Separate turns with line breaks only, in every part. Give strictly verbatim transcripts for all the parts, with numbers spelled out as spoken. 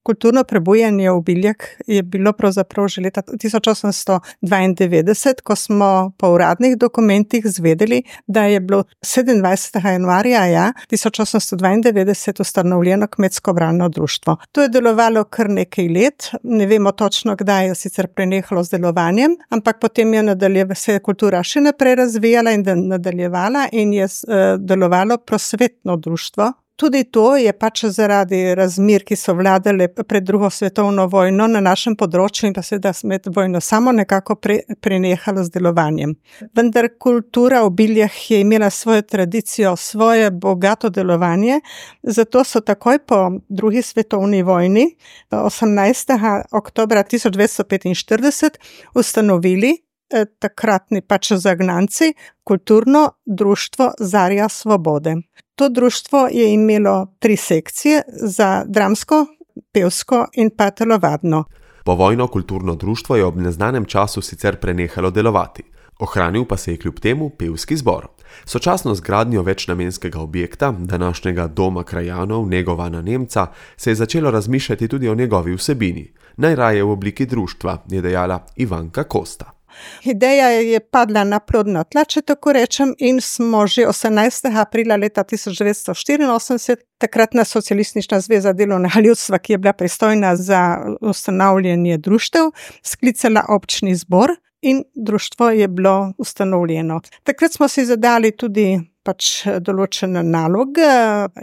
kulturno prebujanje v Biljah je bilo pravzaprav že leta tisoč osemsto dvaindevetdeset, ko smo po uradnih dokumentih zvedeli, da je bilo sedemindvajsetega januarja ja, tisoč osemsto dvaindevetdeset ustanovljeno kmetsko bralno društvo. To je delovalo kar nekaj let, ne vemo točno, kdaj je sicer prenehalo z delovanjem, ampak potem je nadaljev, se je kultura še naprej razvijala in nadaljevala in je uh, delovalo prosvetno društvo. Tudi to je pač zaradi razmer, ki so vladale pred drugo svetovno vojno na našem področju in pa seveda med vojno samo nekako pre, prenehalo z delovanjem. Vendar kultura v Biljah je imela svojo tradicijo, svoje bogato delovanje, zato so takoj po drugi svetovni vojni, osemnajstega oktobra tisoč devetsto petinštirideset, ustanovili eh, takratni pač zagnanci kulturno društvo Zarja svobode. To društvo je imelo tri sekcije za dramsko, pevsko in pa telovadno.
Povojno kulturno društvo je ob neznanem času sicer prenehalo delovati. Ohranil pa se je kljub temu pevski zbor. Sočasno z gradnjo večnamenskega objekta, današnjega doma krajanov Negovana Nemca, se je začelo razmišljati tudi o njegovi vsebini. Najraje v obliki društva, je dejala Ivanka Kosta.
Ideja je padla na plodna tla, če tako rečem, in smo že osemnajstega aprila leta tisoč devetsto štiriinosemdeset, takratna Socialistična zveza delovnega ljudstva, ki je bila pristojna za ustanavljanje društev, sklicala občni zbor in društvo je bilo ustanovljeno. Takrat smo si zadali tudi pač določene naloge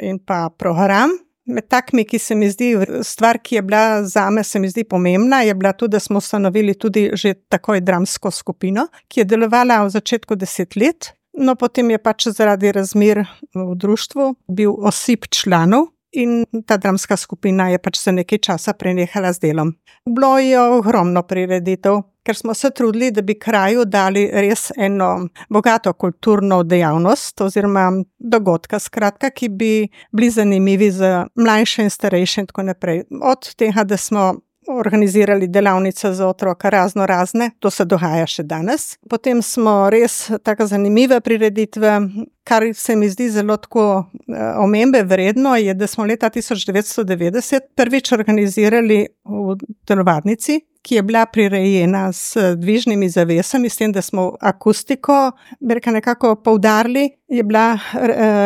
in pa program. Med takimi, ki se mi zdi, stvar, ki je bila zame, se mi zdi pomembna, je bila tudi, da smo ustanovili tudi že takoj dramsko skupino, ki je delovala v začetku deset let, no potem je pač zaradi razmer v društvu bil osip članov in ta dramska skupina je pač za nekaj časa prenehala z delom. Bilo je ogromno prireditev, ker smo se trudili, da bi kraju dali res eno bogato kulturno dejavnost oziroma dogodka, skratka, ki bi bili zanimivi za mlajše in starejše in tako naprej. Od tega, da smo organizirali delavnice za otroka razno razne, to se dogaja še danes. Potem smo res tako zanimive prireditve, kar se mi zdi zelo tako omembe vredno, je, da smo leta tisoč devetsto devetdeset prvič organizirali v telovadnici, ki je bila prirejena s dvižnimi zavesami, s tem, da smo akustiko nekako poudarili, je bila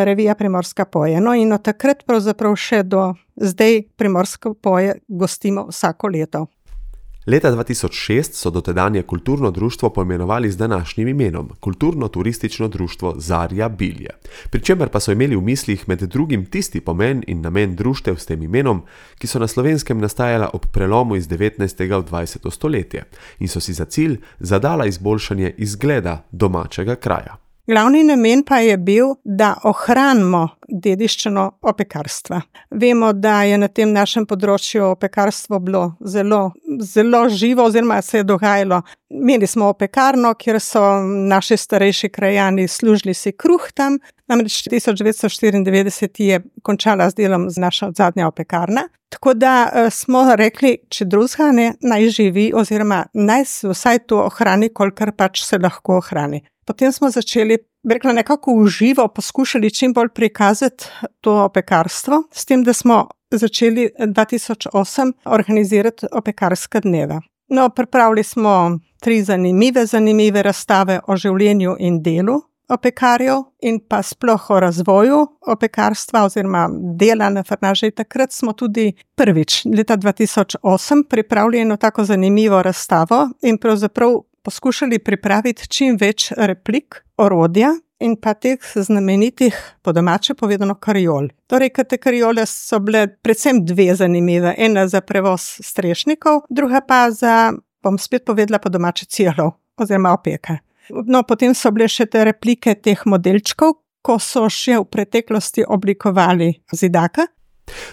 revija Primorska poje. No in od takrat pravzaprav še do zdaj Primorsko poje gostimo vsako leto.
Leta dva tisoč šest so dotedanje kulturno društvo poimenovali z današnjim imenom, Kulturno-turistično društvo Zarja Bilje. Pričemer pa so imeli v mislih med drugim tisti pomen in namen društev s tem imenom, ki so na Slovenskem nastajala ob prelomu iz devetnajstega v dvajseto stoletje in so si za cilj zadala izboljšanje izgleda domačega kraja.
Glavni namen pa je bil, da ohranimo dediščino opekarstva. Vemo, da je na tem našem področju opekarstvo bilo zelo, zelo živo oziroma se je dogajalo. Imeli smo opekarno, kjer so naši starejši krajani služili si kruh tam, namreč tisoč devetsto štiriindevetdeset je končala z delom z naša zadnja opekarna. Tako da smo rekli, če drugega ne, naj živi oziroma naj se vsaj to ohrani, kolikor pač se lahko ohrani. Potem smo začeli, rekla, nekako v živo poskušali čim bolj prikazati to opekarstvo, s tem, da smo začeli dva tisoč osem organizirati opekarske dneve. No, pripravili smo tri zanimive, zanimive razstave o življenju in delu opekarjev in pa sploh o razvoju opekarstva oziroma dela na frnaži. Takrat smo tudi prvič, leta dva tisoč osem, pripravili eno tako zanimivo razstavo in pravzaprav poskušali pripraviti čim več replik, orodja in pa teh znamenitih, po domače povedano, kariol. Torej, te kariole so bile predvsem dve zanimive. Ena za prevoz strešnikov, druga pa za, bom spet povedala po domače, cirlov oziroma opeke. No, potem so bile še te replike teh modelčkov, ko so še v preteklosti oblikovali zidaka.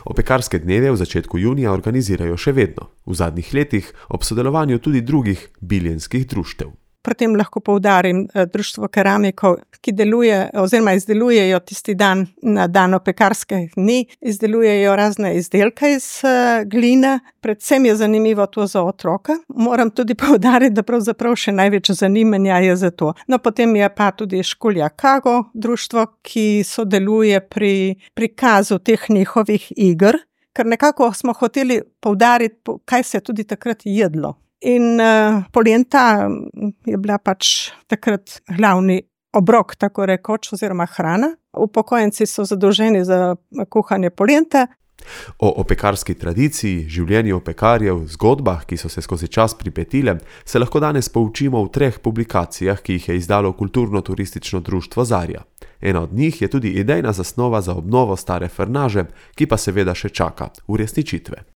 Opekarske dneve v začetku junija organizirajo še vedno, v zadnjih letih ob sodelovanju tudi drugih biljenskih društev.
Pri tem lahko poudarim društvo keramikov, ki deluje oziroma izdelujejo tisti dan na dan opekarskih dni, izdelujejo razne izdelke iz gline, predvsem je zanimivo to za otroka. Moram tudi poudariti, da pravzaprav še največ zanimanja je za to. No, potem je pa tudi Škulja Kago društvo, ki sodeluje pri prikazu teh njihovih iger, ker nekako smo hoteli poudariti, kaj se je tudi takrat jedlo. In uh, polenta je bila pač takrat glavni obrok, tako rekoč, oziroma hrana. Upokojenci so zadolženi za kuhanje polente.
O opekarski tradiciji, življenju opekarjev, zgodbah, ki so se skozi čas pripetile, se lahko danes poučimo v treh publikacijah, ki jih je izdalo Kulturno-turistično društvo Zarja. Ena od njih je tudi idejna zasnova za obnovo stare frnaže, ki pa seveda še čaka uresničitve.